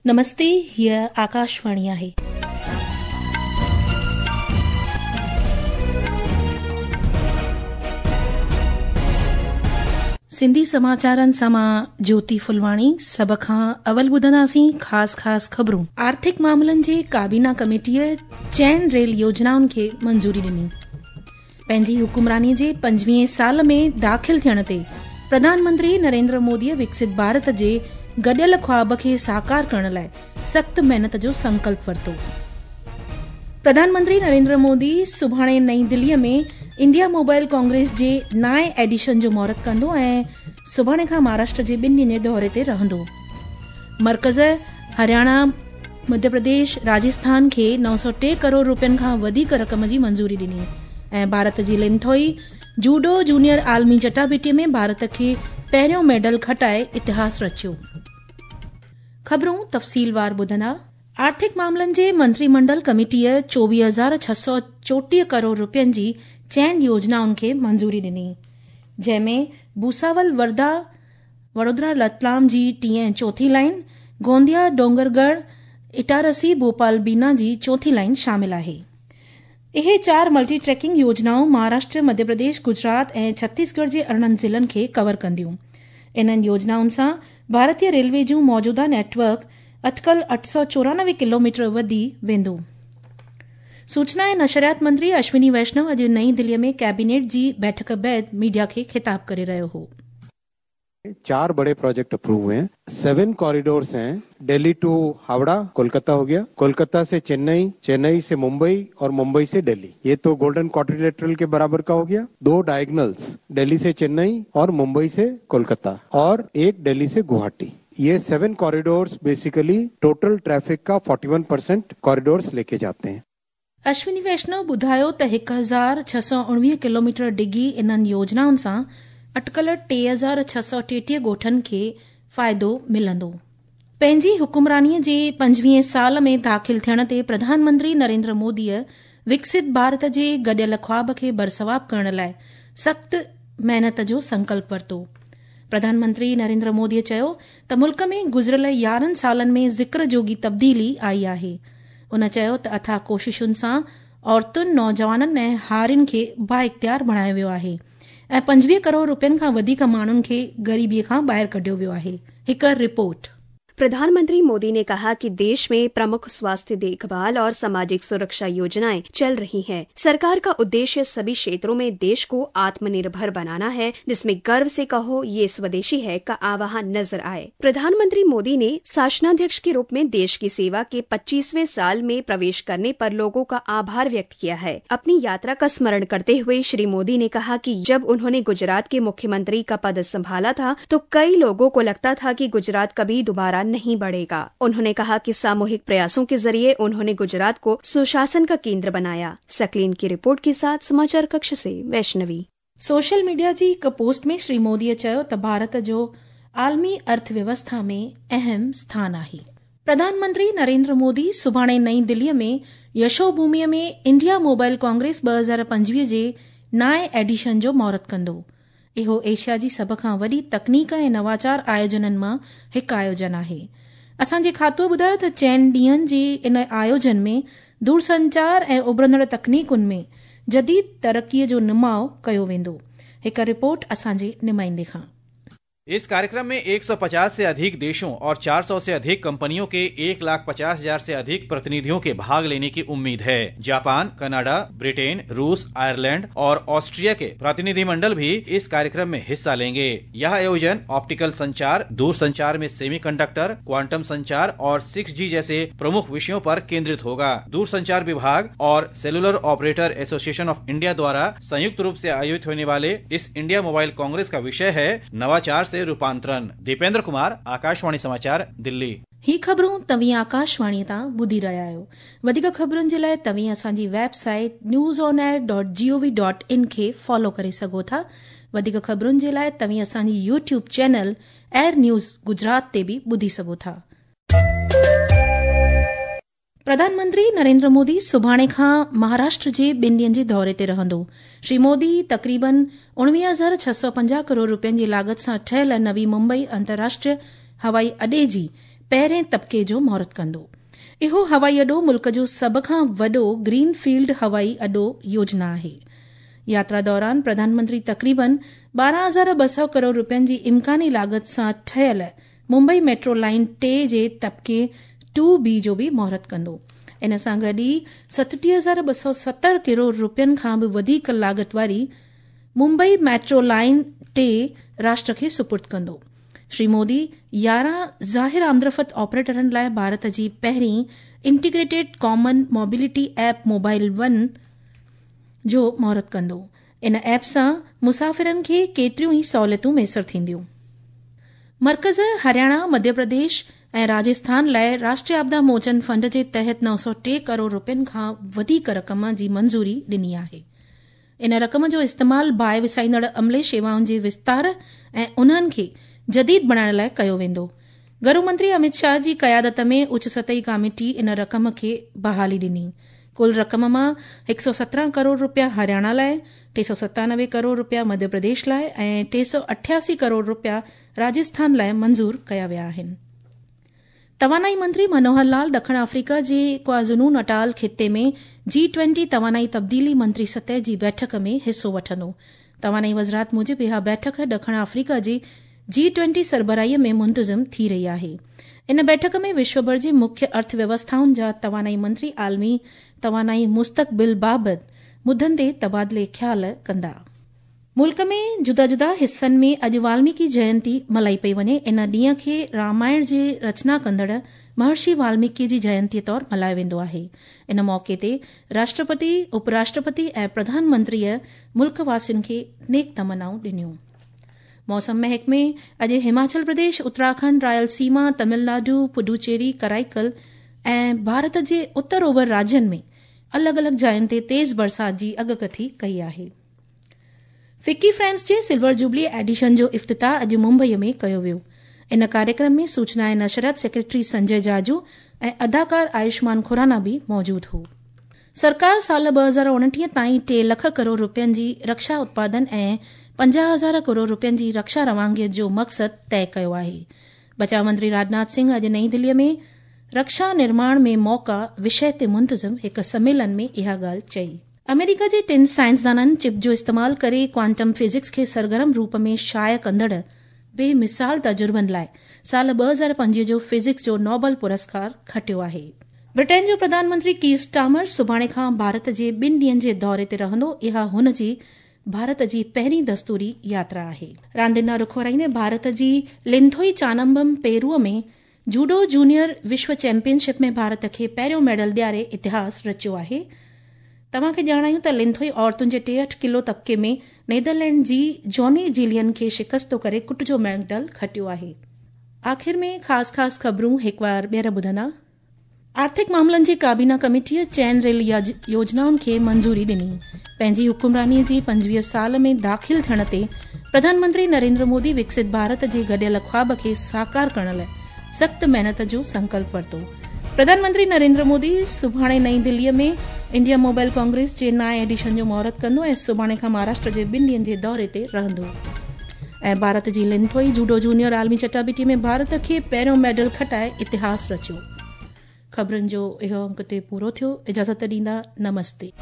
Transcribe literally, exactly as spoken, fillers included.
नमस्ते, हीअ आकाशवाणी आहे। सिंधी समाचारनि सां मां ज्योति फुलवाणी। सभ खां अवल ॿुधंदासीं ख़ासि ख़ासि ख़बरूं। आर्थिक मामलनि जे काबीना कमेटीअ चइनि रेल योजनाउनि खे मंज़ूरी ॾिनी। पंहिंजी हुकुमरानीअ जे पंजवीहें साल में दाख़िल थियण ते प्रधानमंत्री नरेंद्र मोदीअ विकसित भारत जे गॾियल ख़्वाब खे साकार करण लाइ सख़्तु महिनत जो संकल्प वरितो। प्रधानमंत्री नरेंद्र मोदी सुभाणे नई दिल्लीअ में इंडिया मोबाइल कांग्रेस जे नाएं एडिशन जो मुहूर्त कंदो ऐं सुभाणे खां महाराष्ट्र जे ॿिनि ॾींहंनि जे दौरे ते रहंदो। मर्कज़ हरियाणा, मध्य प्रदेश, राजस्थान खे नौ सौ टे करोड़ रुपयनि खां वधीक रक़म जी मंज़ूरी ॾिनी ऐं भारत जी लिंथोई जूडो जूनियर आलमी चटाभेटीअ में भारत खे पहिरियों मेडल खटाए इतिहास रचियो। ख़बरूं तफ़सीलवार ॿुधंदा। आर्थिक मामलनि जे मंत्रीमंडल कमेटीअ चोवीह हज़ार छह सौ चोटीह करोड़ रुपयनि जी चइनि योजनाउनि खे मंज़ूरी ॾिनी, जंहिंमें भूसावल वर्धा वडोदरा रतलाम जी टीं ऐं चोथी लाइन, गोंदिया डोंगरगढ़ इटारसी भोपाल बीना जी चोथी लाइन शामिल आहे। इहे चार मल्टी ट्रैकिंग योजनाऊं महाराष्ट्र, मध्य प्रदेश, गुजरात ऐं छत्तीसगढ़ जे अरिड़हं ज़िलनि खे कवर कंदियूं। इन्हनि योजनाउनि सां भारतीय रेलवे जूं मौजूदा नेटवर्क अटकल अठ सौ चोरानवे किलोमीटर वधी वेंदो। सूचना ऐं नशरियात मंत्री अश्विनी वैष्णव अॼु नई दिल्लीअ में कैबिनेट जी बैठक बाद मीडिया खे ख़िताब करे रहियो हो। चार बड़े प्रोजेक्ट अप्रूव हुए हैं, सेवन कॉरिडोर्स हैं। दिल्ली टू हावड़ा कोलकाता हो गया, कोलकाता से चेन्नई, चेन्नई से मुंबई और मुंबई से दिल्ली, ये तो गोल्डन क्वाड्रिलेटरल के बराबर का हो गया। दो डायगोनल्स दिल्ली से चेन्नई और मुंबई से कोलकाता और एक दिल्ली से गुवाहाटी। ये seven corridors basically total traffic का इकतालीस परसेंट कॉरिडोर्स लेके जाते हैं। अश्विनी वैष्णव ॿुधायो त हिकु हज़ार छह सौ उणिवीह किलोमीटर डिघी इन्हनि योजनाउनि सां अटकल टे हज़ार छह सौ टेटीह ॻोठनि खे फ़ाइदो मिलंदो। पंहिंजी हुकुमरानीअ जे पंजवीहें साल में दाख़िल थियण ते प्रधानमंत्री नरेंद्र मोदीअ विकसित भारत जे गॾियल ख़्वाब खे बरसवाब करण लाइ सख़्तु महिनत जो संकल्प वरितो। प्रधानमंत्री नरेंद्र मोदीअ चयो त मुल्क में गुज़िरियल यारहं सालनि में ज़िक्र जोगी तब्दीली आई आहे। उन चयो त अथाह कोशिशुनि सां औरतुनि, नौजवाननि ऐं हारियुनि खे बाइख़्तियार बणायो वियो आहे ऐं पंजवीह करोड़ रुपयनि खां वधीक माण्हुनि खे ग़रीबीअ खां ॿाहिरि कढियो वियो आहे। हिकु रिपोर्ट। प्रधानमंत्री मोदी ने कहा कि देश में प्रमुख स्वास्थ्य देखभाल और सामाजिक सुरक्षा योजनाएं चल रही हैं। सरकार का उद्देश्य सभी क्षेत्रों में देश को आत्मनिर्भर बनाना है, जिसमें गर्व से कहो ये स्वदेशी है का आह्वान नजर आए। प्रधानमंत्री मोदी ने शासनाध्यक्ष के रूप में देश की सेवा के पच्चीसवें साल में प्रवेश करने पर लोगों का आभार व्यक्त किया है। अपनी यात्रा का स्मरण करते हुए श्री मोदी ने कहा कि जब उन्होंने गुजरात के मुख्यमंत्री का पद संभाला था तो कई लोगों को लगता था कि गुजरात कभी दोबारा नहीं बढ़ेगा। उन्होंने कहा कि सामूहिक प्रयासों के जरिए उन्होंने गुजरात को सुशासन का केंद्र बनाया। सकलीन की रिपोर्ट के साथ समाचार कक्ष से वैष्णवी। सोशल मीडिया जी हिकु पोस्ट में श्री मोदीअ चयो त भारत जो आलमी अर्थव्यवस्था में अहम स्थान आहे। प्रधानमंत्री नरेंद्र मोदी सुभाणे नई दिल्लीअ में यशोभूमिअ में इंडिया मोबाइल कांग्रेस ॿ हज़ार पंजवीह जे नाएं एडिशन जो मुहूर्त कंदो। इहो एशिया जी सभ खां वॾी तकनीक ऐं नवाचार आयोजननि मां हिकु आयोजन आहे। असांजे खातो ॿुधायो त चइनि ॾींहंनि जे इन आयोजन में दूरसंचार ऐं उभरंदड़ तकनीकुनि में जदीद तरक़ीअ जो नुमाउ कयो वेंदो। हिकु रिपोर्ट असांजे नुमाइंदे खां। इस कार्यक्रम में एक सौ पचास से अधिक देशों और चार सौ से अधिक कंपनियों के एक लाख पचास हजार से अधिक प्रतिनिधियों के भाग लेने की उम्मीद है। जापान, कनाडा, ब्रिटेन, रूस, आयरलैंड और ऑस्ट्रिया के प्रतिनिधिमंडल भी इस कार्यक्रम में हिस्सा लेंगे। यह आयोजन ऑप्टिकल संचार, दूरसंचार में सेमीकंडक्टर, क्वांटम संचार और सिक्स जी जैसे प्रमुख विषयों पर केंद्रित होगा। दूरसंचार विभाग और cellular operator association of India द्वारा संयुक्त रूप से आयोजित होने वाले इस इंडिया मोबाइल कांग्रेस का विषय है नवाचार से रूपांतरण। दीपेंद्र कुमार, आकाशवाणी समाचार, दिल्ली। ही ख़बरूं तव्हीं आकाशवाणी तां ॿुधी रहिया आहियो। वधीक ख़बरुनि जे लाइ तव्हीं असांजी website news on air dot G O V dot in खे फॉलो करे सघो था। वधीक ख़बरुनि जे लाइ तव्हीं असांजी YouTube channel air news Gujarat ते बि ॿुधी सघो था। प्रधानमंत्री नरेंद्र मोदी सुभाणे खां महाराष्ट्र जे ॿिनि ॾींहंनि जे दौरे ते रहंदो। श्री मोदी तक़रीबन उणिवीह हज़ार छह सौ पंजाह करोड़ रुपयनि जी लागत सां ठहियल नवी मुंबई अंतर्राष्ट्रीय हवाई अॾे जी पहिरें तबिके जो मुहूर्त कंदो। इहो हवाई अॾो मुल्क जो सभ खां वॾो ग्रीन फील्ड हवाई अॾो योजना आहे। यात्रा दौरान प्रधानमंत्री तक़रीबन ॿारहं हज़ार ॿ सौ करोड़ रुपयनि जी इम्कानी लागत सां ठहियल मुंबई मेट्रो लाइन टे जे तबिके टू बी जो बि मुहूर्त कंदो। इन सां गॾु ई सतटीह हज़ार ॿ सौ सतरि करोड़ रुपयनि खां बि वधीक लागत वारी मुंबई मेट्रो लाइन टे राष्ट्र खे सुपुर्द कंदो। श्री मोदी यारहं ज़ाहिर आमदरफ़्त ऑपरेटरनि लाइ भारत जी पहिरीं integrated common mobility app mobile one जो मुहूर्त कंदो। इन ऐप सां मुसाफ़िरनि खे केतिरियूं ई सहूलियतूं मयसर थींदियूं। मर्कज़ हरियाणा, मध्य प्रदेश ऐं राजस्थान लाइ राष्ट्रीय आपदा मोचन फंड जे तहत नौ सौ टे करोड़ रुपयनि खां वधीक रक़म जी मंज़ूरी ॾिनी आहे। इन रक़म जो इस्तेमाल बाहि विसाईंदड़ अमले शेवाउनि जे विस्तार ऐं उन्हनि खे जदीद बणाइण लाइ कयो वेंदो। गृह मंत्री अमित शाह जी क़यादत में उच्च सतही कमेटी इन रक़म खे बहाली ॾिनी। कुल रक़म मां हिकु सौ सत्रहं करोड़ रुपया हरियाणा लाइ, टे सौ सतानवे करोड़ रुपया मध्य प्रदेश लाइ ऐं टे सौ अठासी करोड़ रुपया राजस्थान लाइ मंज़ूर कया विया आहिनि। तवानाई मंत्री मनोहर लाल ॾखिण अफ्रीका जे क्वाज़ुलू नटाल ख़िते में जी ट्वेंटी तवानाई तब्दीली मंत्री सतह जी बैठक में हिसो वठंदो। तवानाई वज़ारत मूजिबि इहा बैठक ॾखिण अफ्रीका जी जी ट्वेंटी सरबराहीअ में मुंतज़िम थी रही आहे। इन बैठक में विश्वभर जी मुख्य अर्थव्यवस्थाउनि जा तवानाई मंत्री आलमी तवानाई मुस्तक़बिल बाबति मुद्दनि ते तबादिले ख़्याल कंदा। मुल्क में जुदा जुदा हिसनि में अॼु वाल्मीकि जयंती मल्हाई पई वञे। इन ॾींहं खे रामायण जे रचना कंदड़ महर्षि वाल्मीकि जी जयंतीअ तौरु मल्हायो वेंदो आहे। इन मौक़े ते राष्ट्रपति, उपराष्ट्रपति ऐं प्रधानमंत्रीअ मुल्क वासियुनि खे नेक तमनाऊं ॾिनियूं। मौसम महकमे अॼु हिमाचल प्रदेश, उत्तराखंड, रायलसीमा, तमिलनाडु, पुडुचेरी, कराईकल ऐं भारत जे उत्तर ओभर राज्यनि में अलॻि अलॻि जायुनि ते तेज़ बरसाति जी अॻकथी कई आहे। फिक्की फ्रेंड्स जे सिल्वर जुबली एडिशन जो इफ्तिताह अॼु मुंबईअ में कयो वियो। इन कार्यक्रम में सूचना ऐं नशरियात सेक्रेटरी संजय जाजू ऐं अदाकार आयुष्मान खुराना बि मौजूदु हो। सरकार साल ॿ हज़ार उणिटीह ताईं टे लख करोड़ रुपयनि जी रक्षा उत्पादन ऐं पंजाह हज़ार करोड़ रुपयनि जी रक्षा रवानगीअ जो मक़सदु तय कयो आहे। बचाव मंत्री राजनाथ सिंह अॼु नई दिल्लीअ में रक्षा निर्माण में मौका विषय ते मुंतज़िम हिकु सम्मेलन में इहा ॻाल्हि चई। अमेरिका जे टिनि साइंसदाननि चिप जो इस्तेमाल करे क्वांटम फिजिक्स खे सरगर्म रूप में शाया कंदड़ बेमिसाल तजुर्बनि लाइ साल ॿ हज़ार पंजवीह जो फिजिक्स जो नोबल पुरस्कार खटियो आहे। ब्रिटेन जो प्रधानमंत्री कीर स्टामर सुभाणे खां भारत जे ॿिनि ॾींहनि जे दौरे ते रहंदो। इहा हुन जी भारत जी पहिरीं दस्तूरी यात्रा आहे। रांदियुनि ॾांहुं रुख वराईंदे भारत जी लिंथोई चानम्बम पेरूअ में जूडो जूनियर विश्व चैंपियनशिप में भारत खे पहिरियों मेडल ॾियारे इतिहास रचियो आहे। तव्हांखे ॼाणायूं त लिंथोई औरतुनि जे टेहठि किलो तबिके में नीदरलैंड जी जॉनी जिलियन खे शिकस्तो करे कुट जो मेडल खटियो आहे। आख़िर में ख़ासि ख़ासि ख़बरूं हिकु बार ॿीहर ॿुधंदा। आर्थिक मामलनि जी काबीना कमेटीअ चइनि रेल योजनाउनि खे मंज़ूरी ॾिनी। पंहिंजी हुकुमरानीअ जी पंजवीह साल में दाख़िल थियण ते प्रधानमंत्री नरेंद्र मोदी विकसित भारत जे गॾियल ख़्वाब खे साकार करण लाइ सख़्तु महिनत जो संकल्प वरितो। प्रधानमंत्री नरेंद्र मोदी सुभाणे नई दिल्लीअ में इंडिया मोबाइल कांग्रेस जे नाए एडिशन जो मुहूर्त कंदो ऐं सुभाणे खां महाराष्ट्र जे ॿिनि ॾींहनि जे दौरे ते रहंदो। ऐं भारत जी लिंथोई जूडो जूनियर आलमी चटाबिटी में भारत खे पहिरियों मेडल खटाए इतिहास रचियो। ख़बरुनि जो इहो अंक ते पूरो थियो। इजाज़त ॾींदा, नमस्ते।